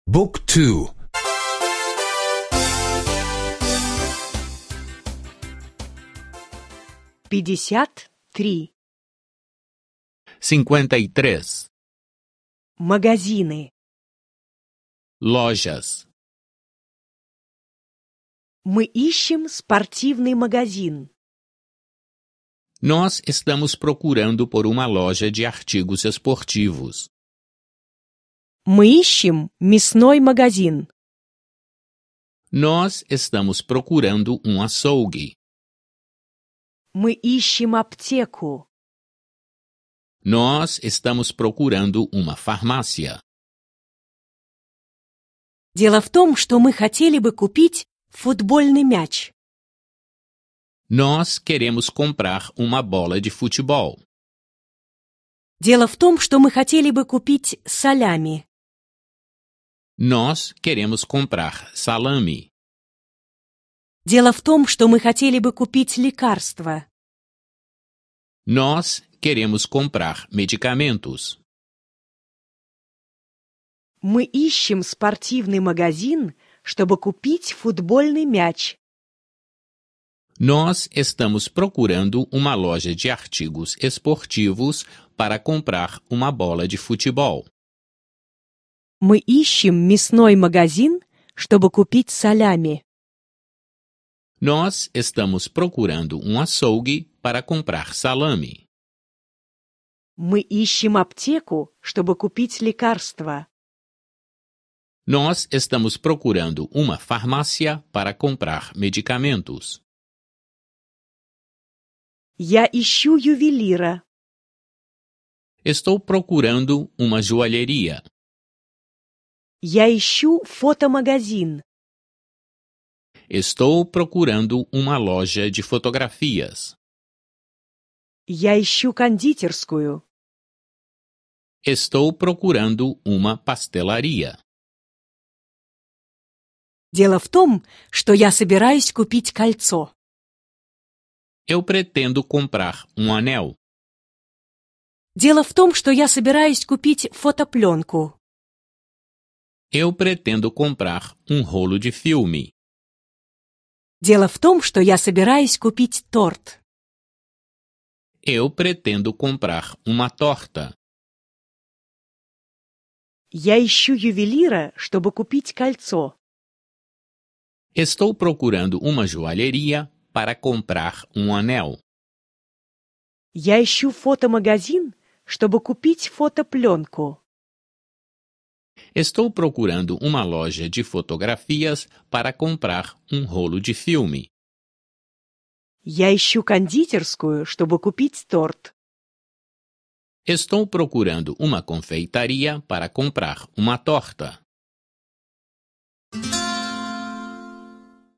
بوك تو 53. 53. Магазины. Lojas. Мы ищем спортивный магазин. Nós estamos procurando por uma loja de artigos esportivos. Мы ищем мясной магазин. Nós estamos procurando um açougue. Мы ищем аптеку. Nós estamos procurando uma farmácia. Дело в том, что мы хотели бы купить футбольный мяч. Nós queremos comprar uma bola de futebol. Дело в том, что мы хотели бы купить салями. Nós queremos comprar salame. Дело в том, что мы хотели бы купить лекарства. Nós queremos comprar medicamentos. Мы ищем спортивный магазин, чтобы купить футбольный мяч. Nós estamos procurando uma loja de artigos esportivos para comprar uma bola de futebol. Мы ищем мясной магазин, чтобы купить салями. Nós estamos procurando um açougue para comprar salame. Мы ищем аптеку, чтобы купить лекарства. Nós estamos procurando uma farmácia para comprar medicamentos. Я ищу ювелира. Estou procurando uma joalheria. Я ищу фотомагазин. Estou procurando uma loja de fotografias. Я ищу кондитерскую. Estou procurando uma pastelaria. Дело в том, что я собираюсь купить кольцо. Eu pretendo comprar um anel. Дело в том, что я собираюсь купить фотопленку. Eu pretendo comprar um rolo de filme. Дело в том, что я собираюсь купить торт. Eu pretendo comprar uma torta. Я ищу ювелира, чтобы купить кольцо. Estou procurando uma joalheria para comprar um anel. Я ищу фотомагазин, чтобы купить фотопленку. Estou procurando uma loja de fotografias para comprar um rolo de filme. Я ищу кондитерскую, чтобы купить торт. Estou procurando uma confeitaria para comprar uma torta.